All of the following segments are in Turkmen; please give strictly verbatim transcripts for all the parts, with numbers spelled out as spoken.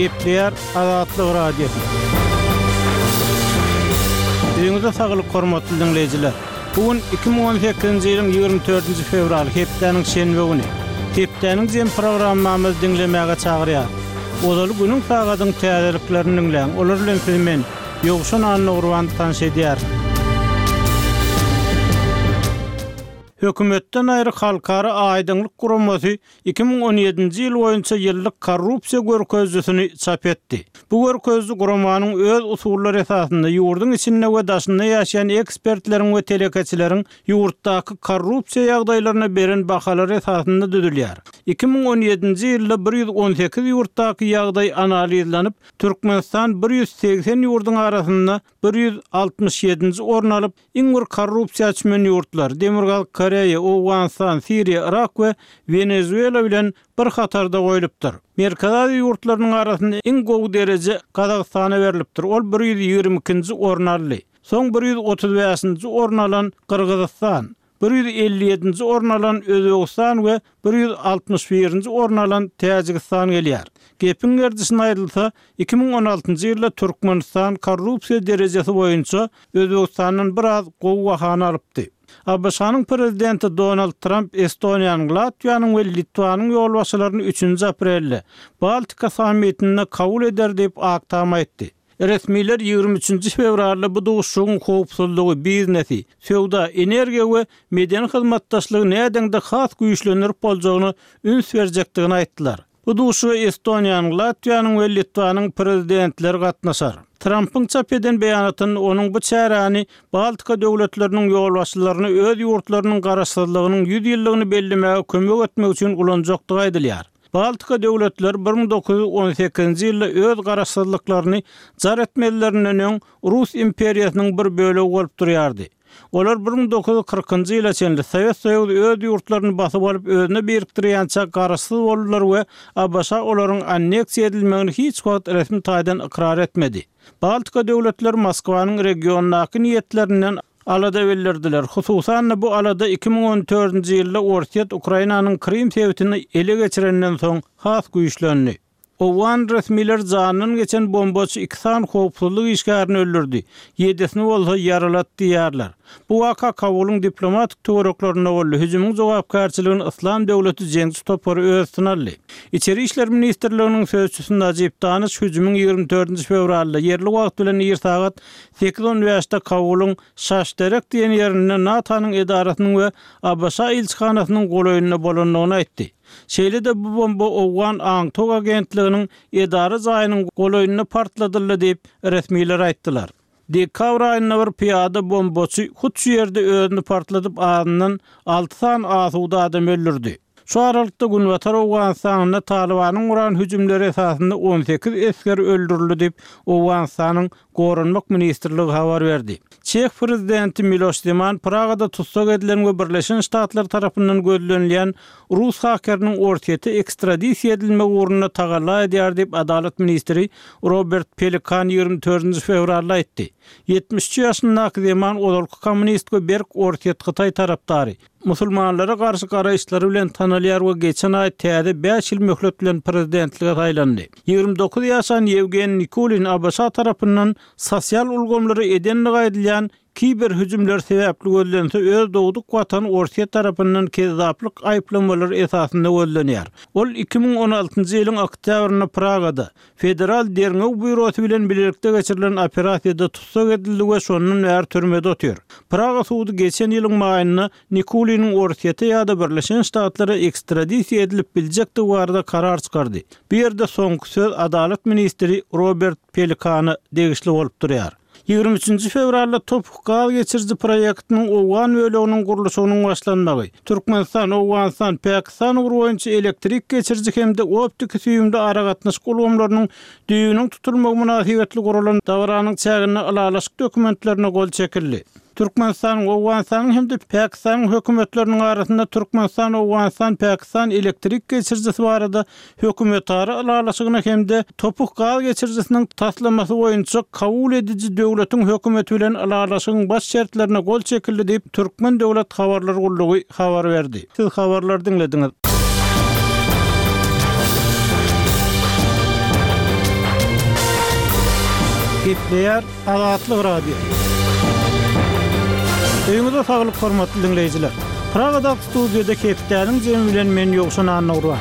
Gepleýär Azatlyk Radiosy. Öýüňize saglyk hormatly diňleýjiler. Bu gün iki müň on sekizinji ýylyň ýigrimi dördünji fewraly, hepdäniň şenbe güni. Hepdäniň jem programmamyzy diňlemäge çagyrýar. Ozaly günüň sagadyň täzeliklerini diňläň. Olar bilen sizi men Ýowşan Annagurban tanyş edýär. Hökümetden aýry halkara aýdyňlyk guramasy iki müň on ýedinji ýyl boýunça ýyllyk korrupsiýa görkezijisini çap etdi. Bu görkeziji guramanyň öz usullary esasynda ýurduň içinde we daşynda ýaşaýan ekspertleriň we telekeçileriň ýurtdaky korrupsiýa ýagdaýlaryna beren bahalary esasynda düzülýär. Iki müň on ýedinji ýylda bir ýüz on sekiz ýurtdaky ýagdaý analizlenip, Türkmenistan bir ýüz segsen ýurduň arasynda bir ýüz altmyş ýedinji orun alyp, iň bir korrupsiýa çümen ýurtlar Demirgazyk Koreýa, Owganystan, Siriýa, Irak we Wenezuela bilen bir hatarda goýlupdyr. Merkezi Aziýa ýurtlarynyň arasynda iň gowy dereje Gazagystana berilipdir. Ol bir ýüz ýigrimi ikinji orun aldy. Soň bir ýüz otuz bäşinji orun alan Gyrgyzystan, bir ýüz elli ýedinji orun alan Özbegistan we bir ýüz altmyş birinji orun alan Täjigistan gelýär. Gepiň gerdişine aýdylsa, iki müň on altynjy ýylda Türkmenistan korrupsiýa derejesi boýunça Özbegistandan biraz gowy bahany alypdy. A B Ş-nyň prezidenti Donald Trump Estoniýanyň, Latwiýanyň we Litwanyň ýolbaşçylaryny üçünji aprelde Baltika sammitinde kabul eder diýip Ak Tam aýtdy. Resmiler ýigrimi üçünji fewralda bu duşuşygyň howpsuzlygy, biznesi, söwda, energiýa we medeni hyzmatdaşlygy nädeňde has güýçlendirip boljagyny üns berjekdigini aýtdylar. Bu duşuşyga Estoniýanyň, Latwiýanyň we Litwanyň prezidentleri gatnaşar. Trumpyň çap eden beýanatynda onuň bu çäräni Baltika döwletleriniň ýolbaşçylaryny öz ýurtlarynyň garaşsyzlygynyň ýüz ýyllygyny bellemäge kömek etmek üçin ulanjakdygy aýdylýar. Baltika döwletleri bir müň dokuz ýüz on sekizinji ýylda öz garaşsyzlyklaryny jar etmelerinden öň Rus imperiýasynyň bir bölegi bolup durýardy. Olar bir müň dokuz ýüz kyrkynjy ýyla çenli Sowet Soýuzy öz ýurtlaryny basyp alyp özüne birikdirýänçä garaşsyz boldular we A B Ş olaryň anneksiýa edilmegini hiç wagt resmi taýdan ykrar etmedi. Baltika döwletleri Moskwanyň regiondaky niýetlerinden alada bildirdiler. Hususan-da bu alada iki müň on dördünji ýylda Orsýet Ukrainanyň Krim sebitini ele geçirenden soň has güýçlendi. Owgan resmiler jandan geçen bombaçy iki sany howpsuzlyk işgärini öldürdi. Ýedisini bolsa ýaralat diýýärler. Bu waka Kabulyň diplomatik töwereklerinde boldy. Hüjümiň jogapkärçiligini Islam döwleti jeňçi topary öz üstüne aldy. Içeri işler ministrliginiň sözçüsi Najib Daniş hüjümiň ýigrimi dördünji fewralda ýerli wagt bilen ir sagat sekiz on bäşde Kabulyň Şaşderek diýen ýerinde NATO-nyň edarasynyň we A B Ş ilçihanasynyň golaýynda bolandygyny aýtdy. Şeýle-de bu bomba Owgan Aňtog agentliginiň edara jaýynyň golaýynda partladyldy diýip resmiler aýtdylar. Dekabr aýynda bir piýada bombaçy hut şu ýerde özüni partladyp azyndan alty sany asuda adam öldürdi. Şu aralykda Günbatar Owganystanda Talibanyň guran hüjümleri esasynda on sekiz esger öldürildi diýip Owganystanyň Goranmak ministrligi habar berdi. Çeh prezidenti Miloš Zeman Pragada tussag edilen we Birleşen Ştatlar tarapyndan gözlenilýän Rus hakeriniň Orsýete ekstradisiýa edilmegi ugrunda tagalla edýär diýip Adalat ministri Robert Pelikan ýigrimi dördünji fewralda aýtdy. Ýetmiş üç ýaşyndaky Zeman ozalky kommunist we berk Orsýet Hytaý tarapdary. Musulmanlara garşy garaýyşlary bilen tanalýar we geçen aý täze bäş ýyl möhlet bilen prezidentlige saýlandy. Ýigrimi dokuz ýaşan Ýewgeniý Nikulin A B Ş tarapyndan sosial ulgamlary edenligi aýdylýan kiber hüjümler sebäpli gözlense öz dogduk watany Orsýet tarapyndan kezzaplyk aýyplamalary esasynda gözlenýär. Ol iki müň on altynjy ýylyň oktýabrynda Pragada Federal Derňew Býurosy bilen bilelikde geçirilen operasiýada tussag edildi we şondan bäri türmede otyr. Praga sudy geçen ýylyň maýynda Nikuliniň Orsýete ýa-da Birleşen Ştatlara ekstradisiýa edilip biljekdigi barada karar çykardy. Bu ýerde soňky söz Adalat ministri Robert Pelikana degişli bolup durýar. Ýigrimi üçünji fewralda Topuk gaz geçiriji proýektiniň Owgan böleginiň gurluşygynyň başlanmagy, Türkmenistan, Owganystan, Pakistan ugry boýunça elektrik geçiriji hem-de optiki süýümli aragatnaşyk ulgamlarynyň düýbüniň tutulmagy mynasybetli guralan dabaranyň çäginde ylalaşyk dokumentlerine gol çekildi. Türkmenistanyň, Owganystanyň hem-de Pakistanyň hökümetleriniň arasynda Türkmenistan, Owganystan, Pakistan elektrik geçirijisi barada hökümetara ylalaşygyna hem-de Topuk gaz geçirijisiniň taslamasy boýunça kabul ediji döwletiň hökümeti bilen ylalaşygyň baş şertlerine gol çekildi diýip Türkmen Döwlet Habarlar Gullugy habar berdi. Siz habarlary diňlediňiz. Gepleýär Azatlyk Radiosy. Öýüňize saglyk hormatly diňleýjiler. Pragada studiýada hepdäniň jemi bilen men Ýowşan Annagurban.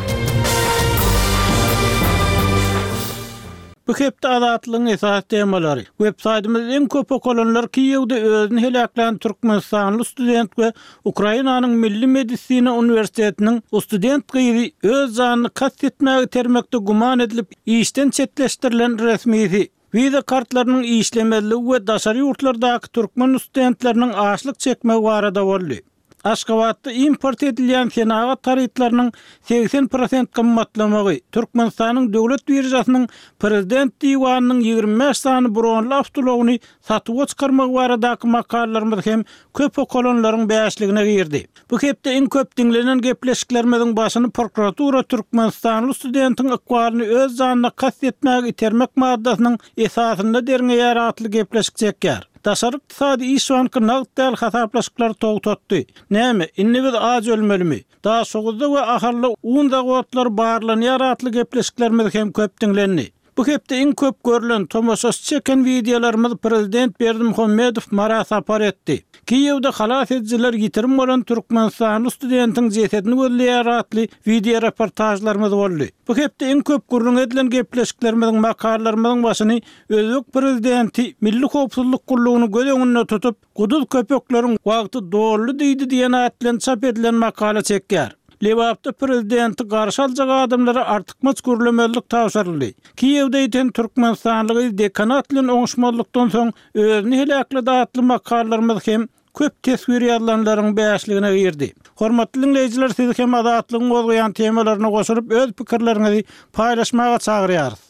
Bu hepde Azatlygyň esas temalary. Web saýtymyz iň köp okalanlar Kiýewde özüni heläklän Türkmenistanly student we Ukrainanyň Milli Medisina Uniwersitetiniň student gyzy öz janyny kast etmäge termekde güman edilip işden çetleşdirilen resmisi. Wiza kartlarynyň işlemezligi we daşary ýurtlardaky türkmen studentleriniň açlyk çekmegi barada boldy. Aşgabatda import edilýän senagat harytlarynyň seksen prosent gymmatlamagy, Türkmenistanyň döwlet biržasynyň prezident diwanynyň ýigrimi bäş sany bronly awtoulagyny satuwa çykarmagy baradaky makalalarymyz hem köp okalanlaryň bäşligine girdi. Bu hepde iň köp diňlenen gepleşiklerimiziň başyny prokuratura Türkmenistanly studentiň ykbalyny öz janyna kast etmäge itermek maddasynyň esasynda derňeýär atly gepleşik çekýär. Daşary ykdysady iş banky nagt däl hasaplaşyklar togtatdy. Näme, indi biz aç ölmelimi? Daşoguzda we Ahalda un zawodlary barlanýar atly gepleşiklerimiz hem köp diňlendi. Bu hepde iň köp görülen tomaşaçy çeken wideolarymyz prezident Berdimuhamedow Mara sapar etdi. Kiýewde halas edijiler ýitirim bolan Türkmenistanly studentiň jesedini gözleýär atly video reportajlarymyz boldy. Bu hepde iň köp gürrüň edilen gepleşiklerimiziň makalalarymyzyň başyny Özbek prezidenti Milli Howpsuzlyk Gullugyny göz öňünde tutup, Guduz köpekleriň wagty doldy diýdi diýen at bilen çap edilen makala çekýär. Lebapda prezidenti garşy aljak adamlara artykmaç gürlemezlik tabşyryldy. Kiýewde ýeten Türkmenistanly dekanat bilen oňuşmazlykdan soň özüni heläkledi atly makalalarymyz hem köp teswir ýazylanlaryň bäşligine girdi. Hormatly diňleýjiler, siz hem Azatlygyň gozgaýan temalaryna goşulyp öz pikirleriňizi paýlaşmaga çagyrýarys.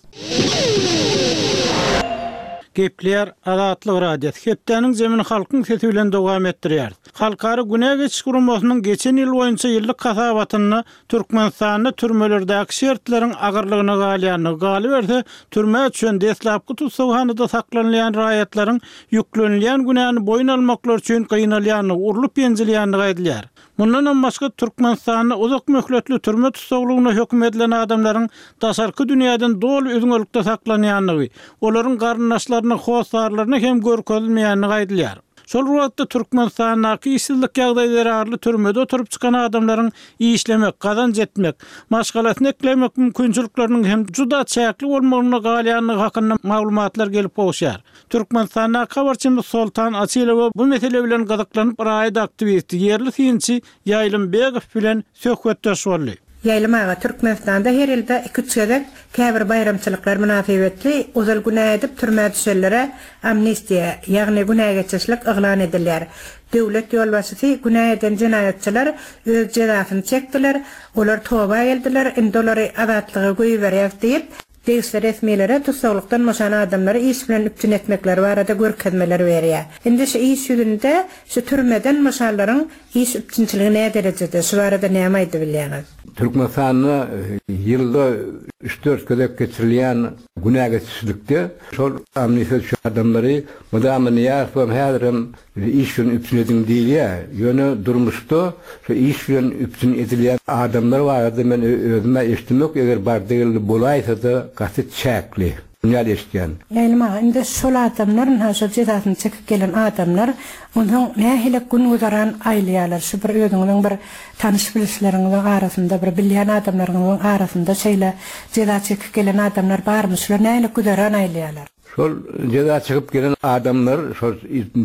Gepleýär Azatlyk Radiosy. Hepdäniň zemini halkyň sesi bilen dowam etdirýär. Halkara günä geçiş guramasynyň geçen ýyl boýunça ýyllyk hasabatynda Türkmenistanda türmelerdäki şertleriň agyrlygyna galýandygy, galyberse türmä düşen deslapky tussaghanada saklanylýan raýatlaryň ýüklenilýän günäni boýun almaklar üçin gynalýandygy, urlup ýenjilýändigi aýdylýar. Mundan başga Türkmenistanda uzak möhletli türme tussaglygyna höküm edilen adamlaryň daşarky dünýäden doly üzňelikde saklanýandygy, olaryň garyndaşlaryna, hossarlaryna hem görkezilmeýändigi aýdylýar. Şol wagtda Türkmenistandaky işsizlik ýagdaýy zerarly türmede oturyp çykan adamlaryň işlemek, gazanç etmek, maşgalasyny eklemek mümkinçilikleriniň hem juda çäkli bolmagyna galýandygy hakynda maglumatlar gelip gowuşýar. Türkmenistandaky habarçymyz Soltan Açylowa bu mesele bilen gyzyklanyp raýat aktiwisti ýerli synçy Ýaýlym Begow bilen söhbetdeş boldy. Ýaýlym aga, Türkmenistanda her ýylda iki üç gezek käbir baýramçylyklar mynasybetli ozal günä edip türmä düşenlere amnistiýa, ýagny günä geçişlik yglan edilýär. Döwlet ýolbaşçysy günä eden jenaýatçylar öz jezasyny çekdiler, olar toba geldiler, indi olary azatlyga goýberýäs diýip, degişli resmilere tussaglykdan boşan adamlary iş bilen üpjün etmekleri barada görkezmeler berýär. Indi şu iş ýüzünde şu türmeden boşanlaryň iş üpjünçiligi näme derejede, şu barada näme aýdyp bilýäňiz? Türkmenistanda ýylda üç dört gezek geçirilýän günä geçişlikde şol amnistiýa düşen adamlary mydama Nyýazow häzirem iş bilen üpjün ediň diýilýär. Ýöne durmuşda şu iş bilen üpjün edilýän adamlar barada men özüme eşitdim, eger bar degildi bolaýsa da gaty çäkli. Dünýä eşitýän. Ýaýlym aga, indi şol adamlar, ha şol jezasyny çekip gelen adamlar, onsoň nähili gün güzeran aýlaýarlar? Şu bir özüňiziň bir tanyş bilişleriňiziň arasynda, bir bilýän adamlaryňyzyň arasynda şeýle jeza çekip gelen adamlar barmy? Şular nähili güzeran aýlaýarlar? Şol jeza çekip gelen adamlar şol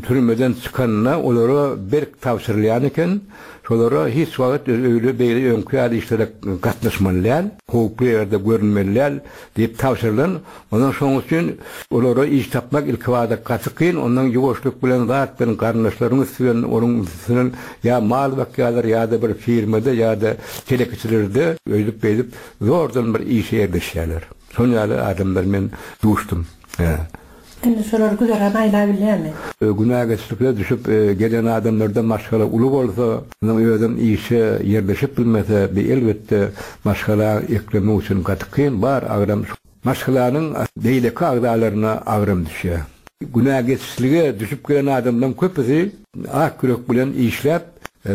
türmeden çykanda olara berk tabşyrylýan eken. Şolara hiç wagt öýle beýle öňki ýaly işlere gatnaşmaly däl, howply ýerde görünmeli däl diýip tabşyrylan. Ondan şonuň üçin olara iş tapmak ilkibada gaty kyn, ondan ýuwaşlyk bilen zat bilen garyndaşlaryň üstü bilen onuň üstünden ýa mal bakýarlar ýa-da bir firmada ýa-da telekeçilerde öýdüp beýdip zordan bir işe ýerleşýärler. Şon ýaly adamlar men duşdum. He. Indi şolar güzeran aýla bilýärmi? Günä geçişlikle düşüp gelen adamlarda maşgala uly bolsa, onuň özem işe ýerleşip bilmese, bir elbetde maşgala eklemek üçin gaty kyn bar agram. Maşgalanyň beýleki agzalaryna agram düşýär. Günä geçişlige düşüp gelen adamlaryň köpüsi ak ýürek bilen işläp,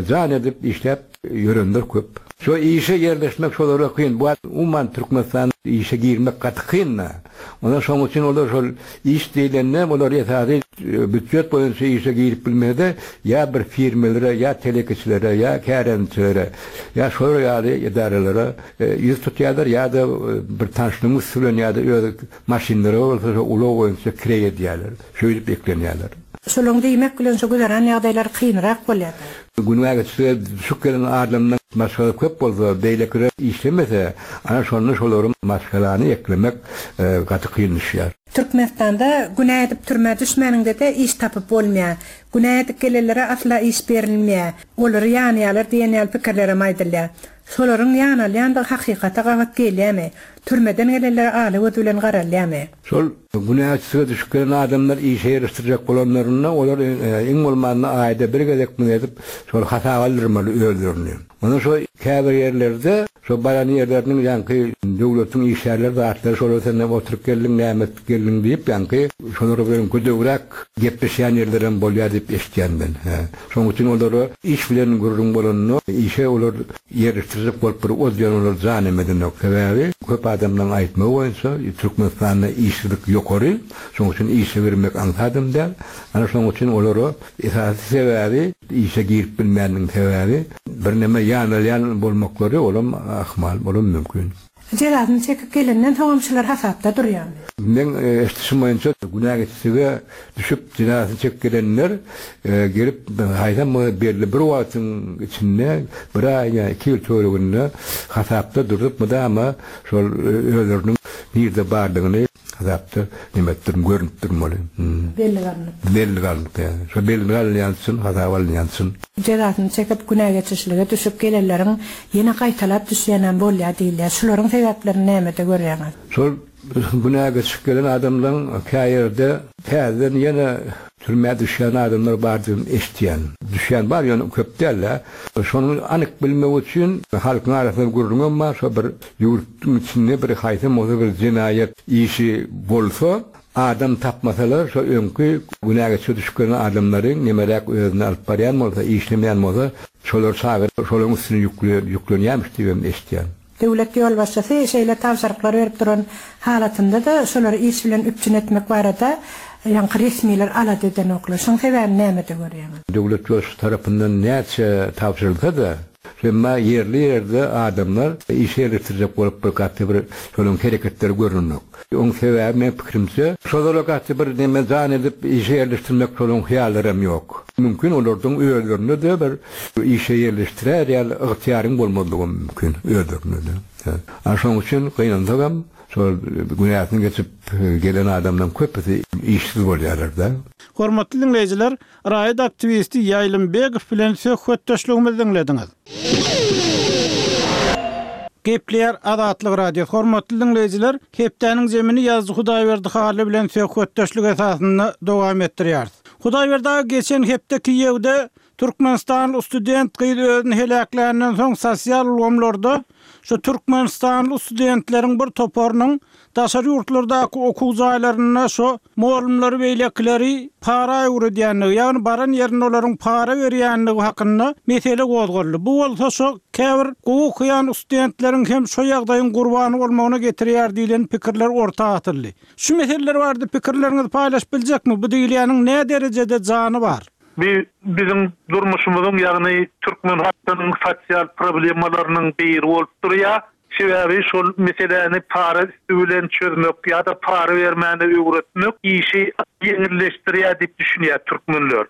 jan edip işläp ýörenler köp. Şo işe ýerleşmek şolara kyn. Bu umuman Türkmenistan işe girmek gaty kyn. Ondan şoň üçin olar şol iş diýlende olar esasy býujet boýunça işe girip bilmedi, ýa bir firmelere, ýa telekeçilere, ýa kärençilere, ýa şolar ýaly edaralara ýüz tutýarlar, ýa-da bir tanşlygyň üsti bilen ýa-da öz maşynlary bolsa şo ulag boýunça kireý edýärler. Şöýdüp eklenýärler. Şolaň diýmek bilen şo güzeran ýagdaýlar kynrak bolýar. Günä geçse düşüp gelen adamdan maşgala köp bolsa, beýlekiler işlemese, ana şonda şolaryň maşgalany eklemek gaty kyn düşýär. Türkmenistanda günä edip türmä düşmäniňde-de iş tapyp bolmaýar. Günä edip gelenlere asla iş berilmeýär. Olary ýanýarlar diýen ýaly pikirlerem aýdylýar. Şolaryň ýanalýandygy hakykata gabat gelýärmi? Türmeden gelenlere aly göz bilen garalýarmy? Şol günäçilige düşüp gelen adamlar işe ýerleşdirjek bolanlarynda olar iň bolmanda aýda bir gezek muny edip şol hasap aldyrmaly özlerini. Ondan şo käbir ýerlerde şo baran ýerleriniň ýaňky döwletiň işgärleri zatlary şolar senden oturyp geldiň, näme etip geldiň diýip ýaňky şolar bilen gödegräk gepleşýän ýerlerem bolýar diýip eşitýän men. Şonuň üçin olara iş bilen gürrüň bolanda işe olar ýerleşdirjek bolup bir ozýan olar jan emedenok. Sebäbi köp adamlaryň aýtmagy boýunça Türkmenistanda işsizlik ýokary, şonuň üçin işe girmek aňsadam däl. Ana şonuň üçin olara esasy sebäbi işe girip bilmäniniň sebäbi birneme ýanalýan bolmaklary olam ahmal, olam mümkin. Jezasyny çekip gelenden soňam şular hasapda durýarmy? Men eşitişim boýunça günä geçsige düşüp jezasyny çekip gelenler gelip haýsam belli bir wagtyň içinde bir aý ýa iki ýyl töwereginde hasapda durup mydama şol özleriniň nirde bardygyny hasapda nemetdir görünüp durmaly. Belli galynyp. Belli galynyp ýa. Şo belli galynýan üçin hasap alynýan üçin. Jezasyny çekip günä geçişlige düşüp gelenleriň ýene gaýtalap düşýänem bolýar diýilýär. Şularyň sebäplerini nämede görýäňiz? Şol günä geçip gelen adamlaryň käýerde täzeden ýene türmä düşýän adamlar bar diýip eşitýän. Düşýän bar, ýöne köp däl-de. Şonuň anyk bilmek üçin halkyň arasynda gürrüňem bar, şo bir ýurtduň içinde bir haýsy bolsa bir jenaýat işi bolsa, adam tapmasalar, şo öňki günä geçip düşüp gelen adamlaryň nemeräk özüni alyp barýan bolsa, işlemeýän bolsa, şolar çagyryp, şolaryň üstüne ýüklenýärmiş diýip eşitýän. Döwlet ýolbaşçysy şeýle tabşyryklar berip duran halatynda-da şolary iş bilen üpjün etmek barada ýaňky resmiler alada edenoklar. Şoň sebäbini nämede görýäňiz? Döwlet ýolbaşçysy tarapyndan näçe tabşyrylsa-da, emma ýerli ýerde adamlar işe ýerleşdirjek bolup bir gaty bir şolaryň hereketleri görünmek. Oň sebäbi men pikirimçe, şolara gaty bir neme jan edip işe ýerleşdirmek şolaryň hyýallaram ýok. Mümkin olardan özlerinde de bir işe ýerleşdirer ýaly ygtyýaryň bolmazlygy mümkin özlerinde de. A şoň üçin gynansagam şol günäsini geçip gelen adamdan köpüsi işsiz bolýarlar da. Hormatly dinleýjiler, raýat aktiwisti Ýaýlym Begow bilen söhbetdeşligimizi diňlediňiz. Gepleýär Azatlyk Radiosy. Hormatly dinleýjiler, hepdäniň zemini Ýazdy Hudaýberdi Hally bilen söhbetdeşlik esasynda dowam etdirýäris. Hudaýberdi aga geçen hepde Kiýewde Türkmenistanly student gyz özüni heläkländen soň sosial ulgamlarda şu Türkmenistanly studentleriň bir toparynyň daşary ýurtlardaky okuw jaýlarynda şu mugallymlary beýlekileri para öwredýänligi, ýagny baran ýerinde olaryň para berýänligi hakynda mesele gozgaldy. Bu bolsa şu käbir gowy okaýan studentleriň hem şu ýagdaýyň gurbany bolmagyna getirýär diýlen pikirler orta atyldy. Şu meseleler bardy pikirleriňizi paýlaşyp biljekmi? Bu diýilýäniň näme derejede jany bar? Bi bizim durmuşumyzyň, ýagny türkmen halkynyň sosial problemalarynyň biri bolup durýar. Sebäbi şol meseläni para üstü bilen çözmek ýa-da para bermäni öwretmek işi ýeňilleşdirýär diýip düşünýär türkmenler.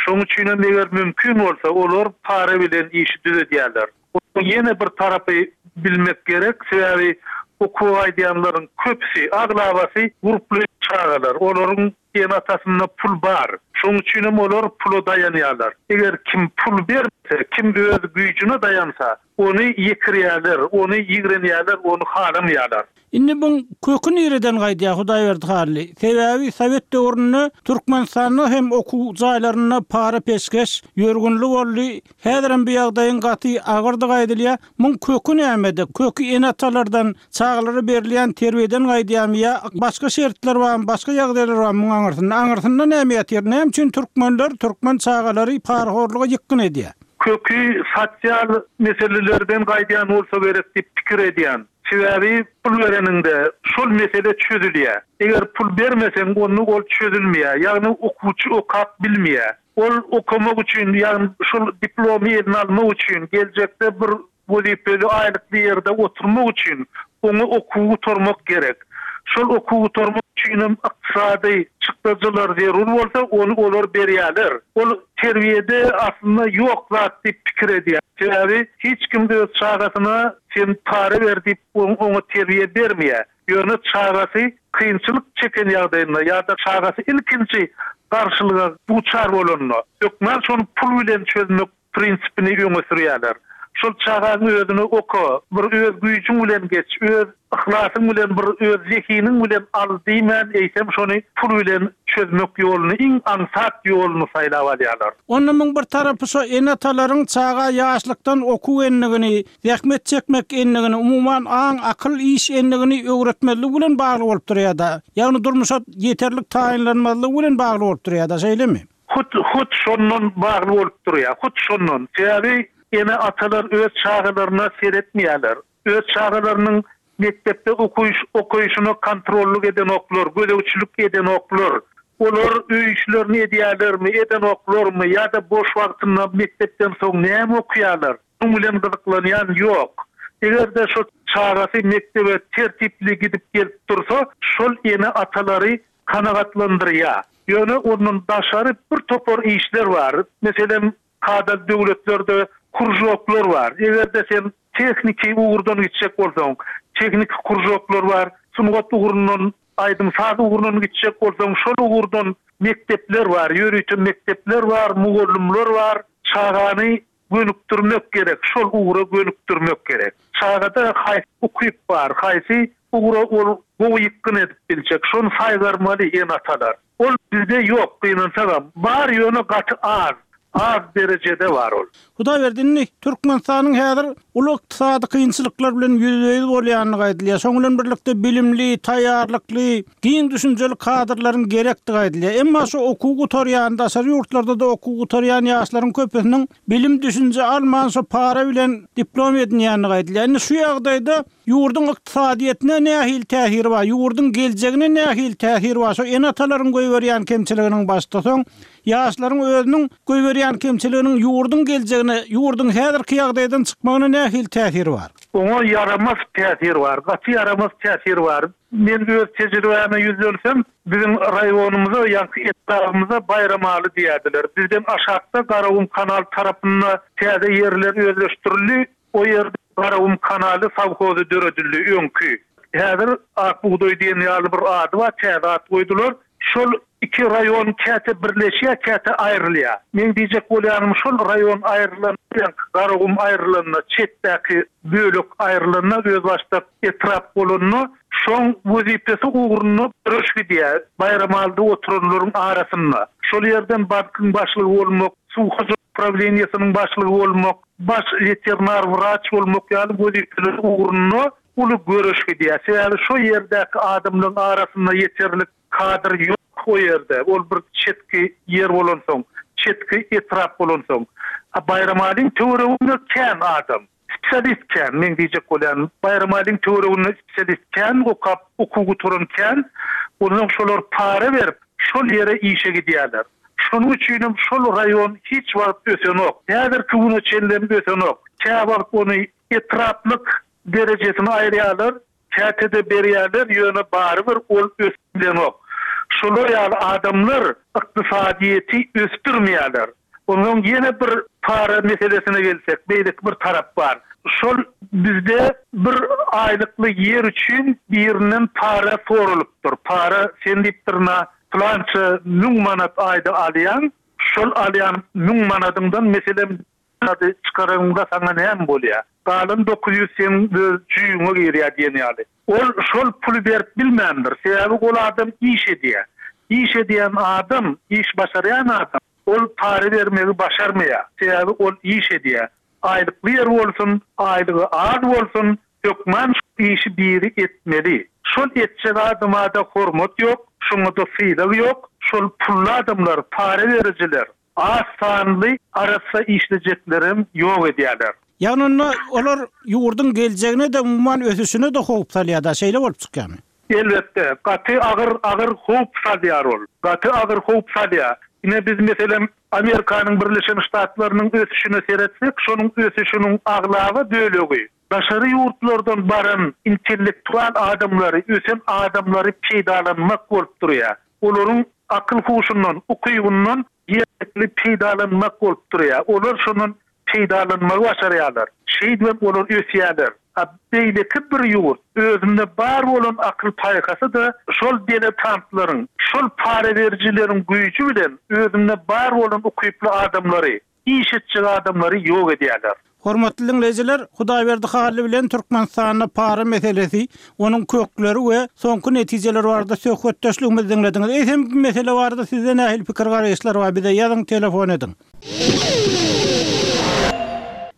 Şonuň üçin hem eger mümkin bolsa olar para bilen işi düzedýärler. Ýene bir tarapy bilmek gerek, sebäbi okuw aýdýanlaryň köpüsi, aglabasy gurply çagalar. Olaryň ene-atasynda pul bar. Şonuň üçin hem olar pula daýanýarlar. Eger kim pul berse, kim öz güýjüne daýansa, ony ýekirýärler, ony ýigrenýärler, ony halamaýarlar. Indi buň kökü nireden gaýdýar Hudaýberdi Hally? Sebäbi Sowet döwründe Türkmenistanda hem okuw jaýlarynda para peşgeş ýörgünli boldy. Häzirem bu ýagdaýyň gaty agyrdygy aýdylýar. Muň kökü nämede? Kökü ene-atalardan çagalara berilýän terbiýeden gaýdýarmy ýa başga şertler barmy, başga ýagdaýlar barmy muň aňyrsynda? Aňyrsynda näme ýatyr? Näme üçin türkmenler, türkmen çagalary parahorluga ýykgyn edýär? Köki sosial meselelerden gaýdýan bolsa gerek diýip pikir edýän. Sebäbi pul bereniňde şol mesele çözülýär. Eger pul bermeseň, onda ol çözülmeýär. Ýagny okuwçy okap bilmeýär. Ol okamak üçin, ýagny şol diplomy eline almak üçin, geljekde bir wezipeli aýlykly ýerde oturmak üçin oňa okuwy gutarmak gerek. Şol okuwy gutarmak üçin hem ykdysady çykdajylar zerur bolsa, ony olar berýärler. Ol terbiýede aslynda ýok zat diýip pikir edýär. Sebäbi hiç kim öz çagasyna sen para ber diýip oňa terbiýe bermeýär. Ýöne çagasy kynçylyk çeken ýagdaýynda ýa-da çagasy ilkinji garşylyga duçar bolanda, hökman şony pul bilen çözmek prinsipini öňe sürýärler. Şol çagaň özüni oka, bir öz güýjüň bilen geç, öz yhlasyň bilen bir öz zehiniň bilen al diýmän, eýsem şony pul bilen çözmek ýoluny, iň aňsat ýoluny saýlap alýarlar. Onda muň bir tarapy şo ene-atalaryň çaga ýaşlykdan okuw endigini, zähmet çekmek endigini, umuman aň, akyl iş endigini öwretmezlik bilen bagly bolup durýar-da. Ýagny durmuşa ýeterlik taýynlanmazlygy bilen bagly bolup durýar-da, şeýlemi? Hut, hut şondan bagly bolup durýar. Hut şondan. Sebäbi ene-atalar öz çagalaryna seretmeýärler. Öz çagalarynyň mekdepde okuýuş, okuýuşyna kontrollyk edenoklar, gözegçilik edenoklar. Olar öý işlerini edýärlermi, edenoklarmy ýa-da boş wagtynda mekdepden soň näme okuýarlar? Muň bilen gyzyklanýan ýok. Eger-de şo çagasy mekdebe tertipli gidip gelip dursa, şol ene-atalary kanagatlandyrýar. Ýöne ondan daşary bir topar işler bar. Meselem, kada döwletlerde kurjoklar bar. Eger-de sen tehniki ugurdan gitjek bolsaň, tehniki kurjoklar bar, sungat ugrundan, aýdym saz ugrundan gitjek bolsaň, şol ugurdan mekdepler bar, ýörite mekdepler bar, mugallymlar bar. Çagany gönükdirmek gerek, şol ugra gönükdirmek gerek. Çagada haýsy ukyp bar, haýsy ugra ol gowy ýykgyn edip biljek, şony saýgarmaly ene-atalar. Ol bizde ýok, gynansagam. Bar ýöne gaty az, az derejede bar ol. Hudaýberdi, indi Türkmenistanyň häzir uly ykdysady kynçylyklar bilen ýüzbe-ýüz bolýandygy aýdylýar. Şoň bilen birlikde bilimli, taýýarlykly, giň düşünjeli kadrlaryň gerekdigi aýdylýar. Emma şu okuw gutarýan, daşary ýurtlarda da okuw gutarýan ýaşlaryň köpüsiniň bilim düşünje alman şu para bilen diplom edinýändigi aýdylýar. Indi şu ýagdaýda ýurduň ykdysadyýetine nähili täsiri bar, ýurduň geljegine nähili täsiri bar? Şu ene-atalaryň goýberýän kemçiliginiň başda soň ýaşlaryň özüniň goýberýän kemçiliginiň ýurduň geljegine, ýurduň häzirki ýagdaýdan çykmagyna nähili täsiri bar? Oňa ýaramaz täsir bar, gaty ýaramaz täsir bar. Men öz tejribäme ýüzlensem, biziň raýonymyza, ýa-da etrabymyza Baýramaly diýerdiler. Bizden aşakda Garagum kanal tarapynda täze ýerler özleşdirildi. O ýerde Garagum kanaly sowhozy döredildi öňki. Häzir Ak bugdaý diýen ýaly bir ady bar, täze at goýdular. Şol iki raýon käte birleşýär, käte aýrylýar. Men diýjek bolýanym şol raýon aýrylan, Garagum aýrylanda, çetdäki bölek aýrylanda, özbaşdak etrap bolanda, şoň wezipesi ugrunda göreş gidýär. Baýramalyda oturanlaryň arasynda. Şol ýerden bankyň başlygy bolmak, suw hojalyk prawleniýesiniň başlygy bolmak, baş weterinar wraç bolmak ýaly wezipeler ugrunda uly göreş gidýär. Sebäbi şo ýerdäki adamlaryň arasynda ýeterlik kadr ýok o ýerde. Ol bir çetki ýer bolansoň, çetki etrap bolansoň. A Baýramalyň töwereginde kän adam. Spesialist kän, men diýjek bolýan. Baýramalyň töwereginde spesialist kän, okap, okuw gutaran kän. Ondan şolar para berip, şol ýere işe gidýärler. Şonuň üçin hem şol raýon hiç wagt ösenok. Häzirki güne çenli ösenok. Käwagt ony etraplyk derejesini aýyrýarlar, käte-de berýärler, ýöne barybir ol ösüp bilenok. Şolar ýaly adamlar ykdysadyýeti ösdürmeýärler. Ondan ýene bir para meselesine gelsek, beýleki bir tarap bar. Şol bizde bir aýlykly ýer üçin birinden para soralypdyr. Para sen diýipdir na plança müň manat aýda alýan, şol alýan müň manadyňdan meselem çykaryňda saňa näme bolýar? Galan dokuz ýüz seň öz jüýüňe girýär diýen ýaly. Ol şol puly berip bilmändir. Sebäbi ol adam iş edýär. Iş edýän adam, iş başarýan adam ol para bermegi başarmaýar. Sebäbi ol iş edýär. Aýlykly ýer bolsun, aýlygy az bolsun, hökman şu işi biri etmeli. Şol etjek adama da hormat ýok, şoňa da sylag ýok. Şol pully adamlar, para berijiler, Az sanly arassa işlejeklerem ýok edýärler. Ýagny onda olar ýurduň geljegine-de, umuman ösüşine-de howp salýar-da, şeýle bolup çykýarmy? Elbetde, gaty agyr agyr howp salýar ol. Gaty agyr howp salýar. Ine biz meselem Amerikanyň Birleşen Ştatlarynyň ösüşine seretsek, şonuň ösüşiniň aglaba bölegi daşary ýurtlardan baran intellektual adamlary, ösen adamlary peýdalanmak bolup durýar. Olaryň akyl-huşundan, ukybyndan ýerlikli peýdalanmak bolup durýar. Olar şondan peýdalanmagy başarýarlar. Şeýdibem olar ösýärler. A beýleki bir ýurt özünde bar bolan akyl-paýhasy-da şol diletantlaryň, şol para berijileriň güýji bilen özünde bar bolan ukyply adamlary, iş etjek adamlary ýok edýärler. Hormatly diňleýjiler, Hudaýberdi Hally bilen Türkmenistanda para meselesi, onuň kökleri we soňky netijeleri barada söhbetdeşligimizi diňlediňiz. Eýsem bu mesele barada sizde nähili pikir-garaýyşlar bar? Bize ýazyň, telefon ediň.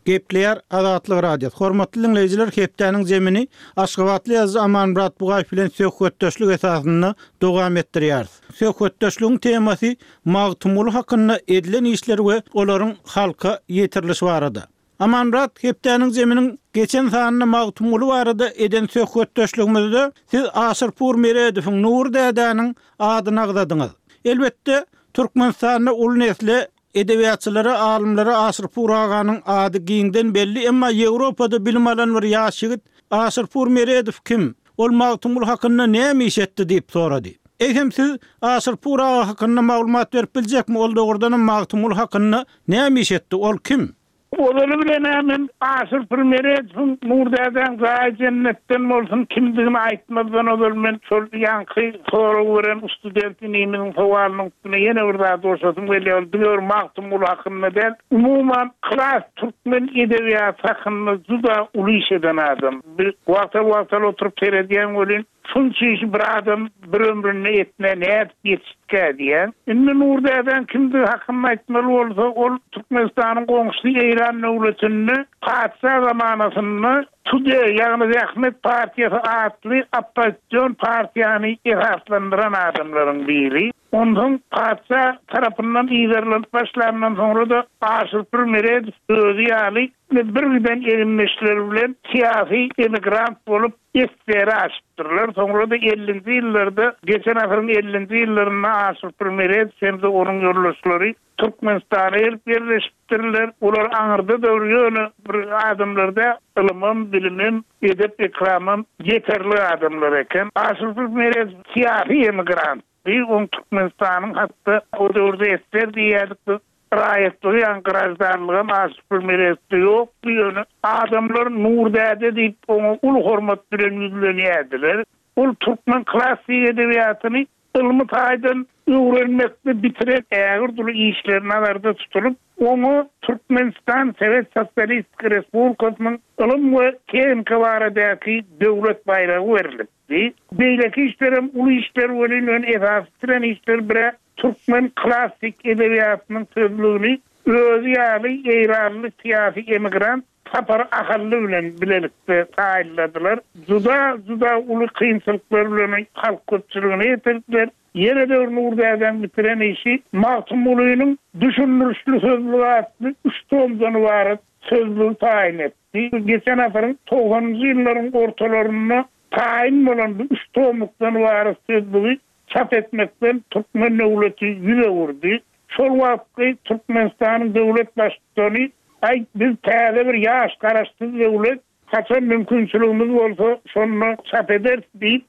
Gepleýär Azatlyk Radiosy. Hormatly diňleýjiler, hepdäniň zemini Aşgabatly ýazyjy Amanmyrat Bugaýew bilen söhbetdeşlik esasynda dowam etdirýäris. Söhbetdeşligiň temasy Magtymguly hakynda edilen işler we olaryň halka ýetirilişi barada. Amanmyrat, hepdäniň zeminiň geçen sanynda Magtymguly barada eden söhbetdeşligimizde siz Aşyrpur Meredowyň, Nury dädäniň adyny agzadyňyz. Elbetde, Türkmenistanda uly nesle edebiýatçylara, alymlara Aşyrpur aganyň ady giňden belli, emma Ýewropada bilim alan bir ýaş ýigit Aşyrpur Meredow kim? Ol Magtymguly hakynda näme iş etdi diýip sorady. Eýsem siz Aşyrpur aga hakynda maglumat berip biljekmi? Ol dogrudanam Magtymguly hakynda näme iş etdi? Ol kim? Ozaly bilen-ä men Aşyrpur Meredowyň Nur dädäň jaýy jennetden bolsun kimdigini aýtmazdan ozal men şol ýaňky sorag beren student inimiziň sowalynyň üstüne ýene bir zat goşasym gelýär. Ol diňe bir Magtymguly hakynda däl, umuman klas türkmen edebiýaty hakynda juda uly iş eden adam. Bir wagtal-wagtal oturyp seredýän welin, şunça işi bir adam bir ömründe etmä nädip ýetişdikä diýýän. Indi Nur dädäň kimdigi hakynda aýtmaly bolsa, ol Türkmenistanyň goňşusy Eýran döwletinde patyşa zamanasynda TUDE, ýagny Zähmet partiýasy atly oppozision partiýany esaslandyran adamlaryň biri. Onsoň patyşa tarapyndan yzarlanyp başlandan soňra-da Aşyrpur Meredow özi ýaly bir giden egindeşleri bilen syýasy emigrant bolup S S R-e aşypdyrlar. Soňra-da ellinji ýyllarda, geçen asyryň ellinji ýyllarynda Aşyrpur Meredow hem-de onuň ýoldaşlary Türkmenistana gelip ýerleşipdirler. Olar aňyrda döwür ýöne bir adamlarda ylymam, bilimem, edep-ekramam ýeterli adamlar eken. Aşyrpur Meredow syýasy emigrant. Oň Türkmenistanyň hatda o döwürde S S R diýýärdik biz, raýatlygy ýa graždanlygam Aşyrpur Meredowda ýokdy, ýöne adamlar Nur däde diýip oňa uly hormat bilen ýüzlenýärdiler. Ol türkmen klassyk edebiýatyny ylmy taýdan öwrenmekde bitiren ägirt uly işleri nazarda tutulyp, oňa Türkmenistan Sowet Sosialistik Respublikasynyň ylym we tehnika baradaky döwlet baýragy berilipdi. Beýleki işlerem uly işler welin ön esasy bitiren işler bire türkmen klassyk edebiýatynyň sözlügini özi ýaly Eýranly syýasy emigrant Sapar Ahally bilen bilelikde taýynladylar. Juda, juda uly kynçylyklar bilen halk köpçüligine ýetirdiler. Ýene de bir Nur dädäň bitiren işi Magtymgulynyň düşündirişli sözlügi atly üç tomdan ybarat sözlügi taýyn etdi. Geçen asyryň togsanynjy ýyllaryň ortalarynda taýyn bolan bu üç tomlukdan ybarat sözlügi çap etmekden türkmen döwleti ýüz öwürdi. Şol wagtky Türkmenistanyň döwlet baştutany, Aý, biz täze bir ýaş garaşsyz döwlet, haçan mümkinçiligimiz bolsa, şonda çap ederis diýip,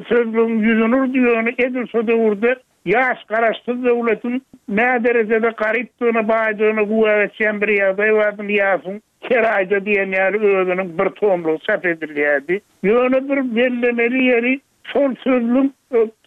sözlügiň ýüzüni urdy, ýöne edil şo döwürde ýaş garaşsyz döwletiň näderejede garypdygyna, baýdygyna güwä geçýän bir ýagdaý bardy, Nyýazowyň her aýda diýen ýaly özüniň bir tomlugy çap edilýärdi. Ýöne bir bellemeli ýeri, şol sözlük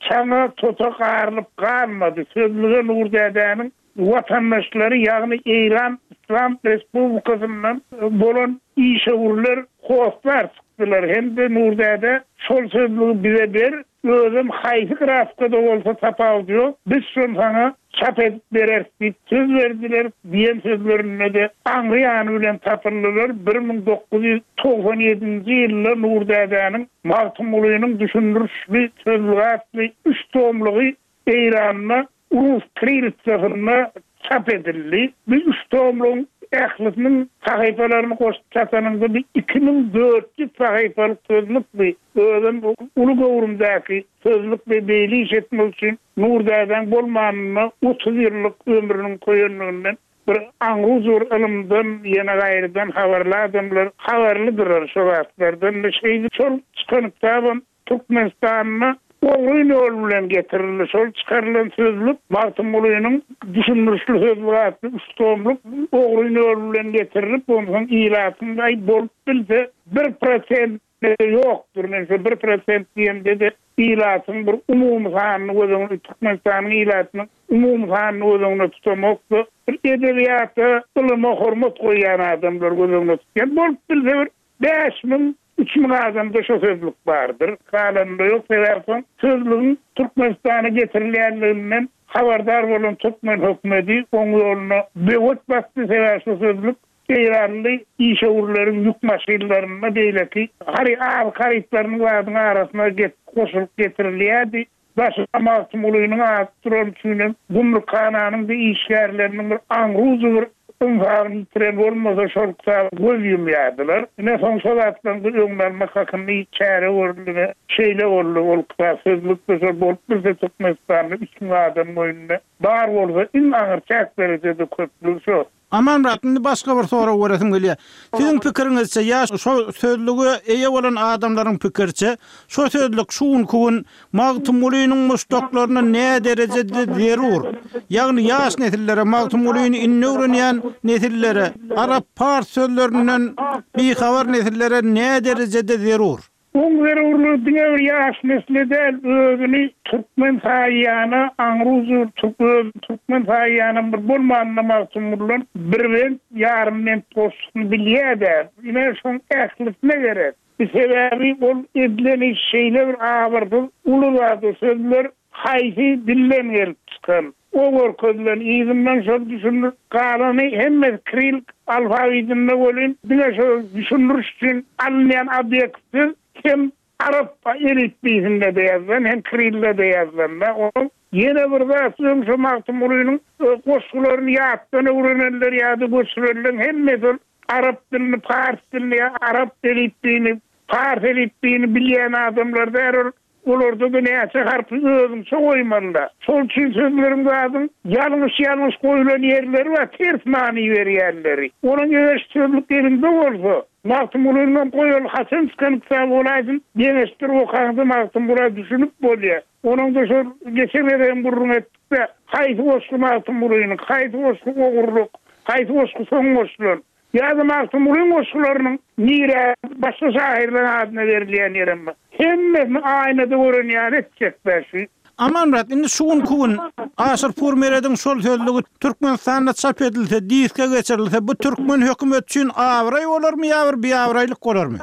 çaňa, tota garylyp galmady. Sözlüge Nur dädäniň watandaşlary, ýagny Eýran Yslam Respublikasyndan bolan işewürler hossar çykdylar hem-de Nur däde şol sözlügi bize ber, özem haýsy grafikada bolsa tapawudy ýok, biz şony saňa çap edip bereris diýip söz berdiler diýen sözlerinde-de aňry ýany bilen tapyldylar. Bir müň dokuz ýüz togsan ýedinji ýylda Nur dädäniň Magtymgulynyň düşündirişli sözlügi atly üç tomlugy Eýranda rus kirilitsasynda çap edildi. Bu üç tomlugyň ählisiniň sahypalaryny goşup çatanyňda bir iki müň dört ýüz sahypalyk sözlük bi. Özem uly göwrümdäki sözlük we beýle iş etmek üçin Nur dädäň bolmanyna otuz ýyllyk ömrüniň köýenliginden bir aňruzur ylymdan ýene gaýrydan habarly adamlar habarlydyrlar şo zatlardan. Şeýle şol çykan kitabam Türkmenistanda ogryn ýol bilen getirildi. Şol çykarylan sözlük Magtymgulynyň düşündirişli sözlük atly üç tomluk ogryn ýol bilen getirilip, onsoň ilatyň aý bolup bilse bir prosent ýokdur. Men şo bir prosent diýemde-de ilatyň bir umumy sanyny göz öňünde, Türkmenistanyň ilatynyň umumy sanyny göz öňünde tutamokda, bir edebiýata, ylyma hormat goýýan adamlar göz öňünde tutýan. Bolup bilse bir bäş müň, üç müň adamda şo sözlük bardyr. Galanynda ýok, sebäbi soň sözlügiň Türkmenistana getirilýänliginden habardar bolan türkmen hökümeti oň ýoluna böwet basdy, sebäbi şo sözlük Eýranly işewürleriň ýük maşynlarynda beýleki hary azyk harytlarynyň zadyň arasyna get-, goşulyp getirilýärdi. Daşyna Magtymgulynyň ady duran üçinem gümrükhananyň bir işgärleriniň bir aňruzy bir ynsabyny ýitiren bolmasa şol kitaba göz ýumýardylar. Ine soň şo zatlaryň bir öňüni almak hakynda hiç çäre görüldi we şeýle boldy. Ol kitap sözlükde şol bolup bilse Türkmenistanda üç müň adam boýunda bar bolsa iň aňyr çäk derejede köplügi şo. Amanmyrat, indi başga bir sorag beresim gelýär. Siziň pikiriňizçe ýa şo sözlüge eýe bolan adamlaryň pikiriçe, şo sözlük şu günki gün Magtymgulynyň muşdaklaryna nä derejede zerur? Ýagny ýaş nesillere, Magtymgulyny indi öwrenýän nesillere, arap pars sözlerinden bihabar nesillere nä derejede zerur? Oň zerurlygy diňe bir ýaş nesle däl, özüni türkmen saýýana, aňruzur türk, öz türkmen saýýana bir bolmanyna Magtymgulydan bir bent, ýarym bent goşgusyny bilýär-de. Ine şoň ählisine gerek. Bir sebäbi ol edilen iş şeýle bir abyrsyz uly zat, sözler haýsy dilden gelip çykan. O görkezilen yzyndan şol düşündir, galany hemme kiril alfabetinde bolun, diňe şol düşündiriş üçin alynýan obýektsiz hem arap elipbiýsinde de ýazylan, hem kirillde de ýazylan da. Onuň ýene bir zat, öň şo Magtymgulynyň, e, goşgularyny ýatdan öwrenenler ýa-da göçürenler hemmesi ol arap dilini, pars dilini, ýa arap elipbiýini, pars elipbiýini bilýän adamlar däl ol. Olarda da näçe harpy özüňçe goýmaly-da. Şol üçin sözleriň zadyň ýalňyş-ýalňyş goýulan ýerleri bar, ters many berýänleri. Onuň eger sözlük elinde bolsa, Magtymgulynyň goýaly haçan çykan kitaby bolaýsyn, deňeşdirip okaňda Magtymgula düşünip bolýar. Onuň da şol geçen gezegem gürrüň etdik-de, haýsy goşgy Magtymgulynyň, haýsy goşgy ogurlyk, haýsy goşgy soň goşulan. Ýa-da Magtymgulynyň goşgularynyň nire başga şairlerin adyna berilýän ýerem bar. Hemmesini aýnada gören ýaly etjek bäşi. Amanmyrat, indi şu günki gün Aşyrpur Merediň şol sözlügi Türkmenistanda çap edilse, diske geçirilse, bu türkmen hökümeti üçin abraý bolarmy ýa bir biabraýlyk bolarmy?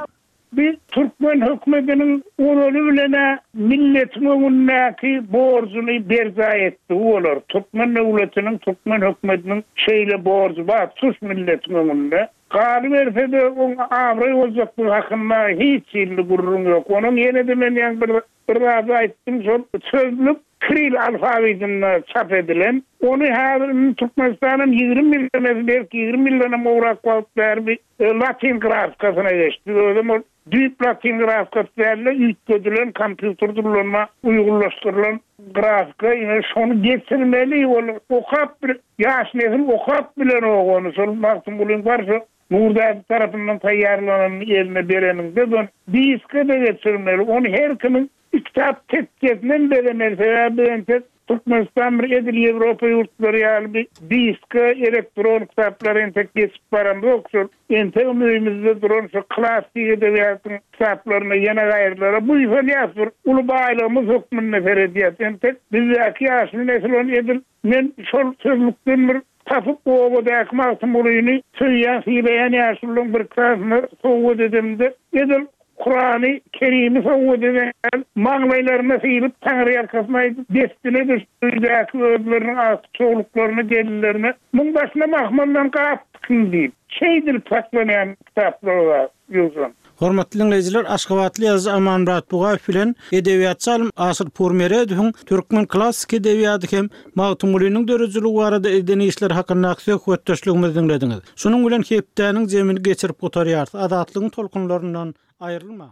Bir türkmen hökümetiniň ozaly bilene milletiň öňündäki borjuny berjaý etdi bolar. Türkmen döwletiniň, türkmen hökümetiniň şeýle borjy bar, tutuş milletiň öňünde. Galyberse-de oň abraý boljak bu hakynda hiç hili gürrüň ýok. Onuň ýene-de men ýaňy bir, bir zat aýtdym, şol sözlük kiril alfabetinde çap edilen. Ony häzir indi Türkmenistanyň ýigrimi ýyl emesi, belki ýigrimi ýyldan hem gowrak wagt bäri bir, e, latin grafikasyna geçdi. Özem ol düýp latin grafikasy däl-de, üýtgedilen kompýuter ullanma uýgunlaşdyrylan grafika. Ine şony geçirmeli, ol okap bir ýaş nesil okap bilen ony. Şol Magtymgulyň bar şo Nurdäde tarapyndan taýýarlananyny eline bereninde de diske de geçirmeli. Ony her kimiň kitap tekjesinden beremeli. Sebäbi entek Türkmenistan bir edil Ýewropa ýurtlary ýaly bir diske, elektron kitaplar entek geçip baramzok. Şol entek öýümizde duran şu klasik edebiýatyň kitaplaryna ýene gaýrylara buýsanýas, bir uly baýlygymyz hökmünde seredýäs. Entek bizdäki ýaşly nesil ony edil men şol sözlükden bir tapyp obadaky Magtymgulyny söýýän, sylaýan ýaşlylaryň bir kitabyny sowgat edemde edil Kurany Kerimi sowgat eden maňlaýlaryna sylyp Taňry ýalkasyn aýdyp destine düşdüdäki özleriniň agtyk çowluklaryny gelinlerine muň başyna mahmaldan gap tikin diýip şeýdilip saklanýan kitaplar bar ýogsam. Hormatly dinleýjiler, Aşgabatly ýazyjy Amanmyrat Bugaýew bilen edebiýatçy alym Aşyr Purmeredowyň türkmen klassyk edebiýaty hem Magtymgulynyň döredijiligi barada eden işleri hakyndaky söhbetdeşligimizi diňlediňiz. Şunuň bilen hepdäniň jemini geçirip gutarýarys. Azatlygyň tolkunlaryndan aýrylmaň.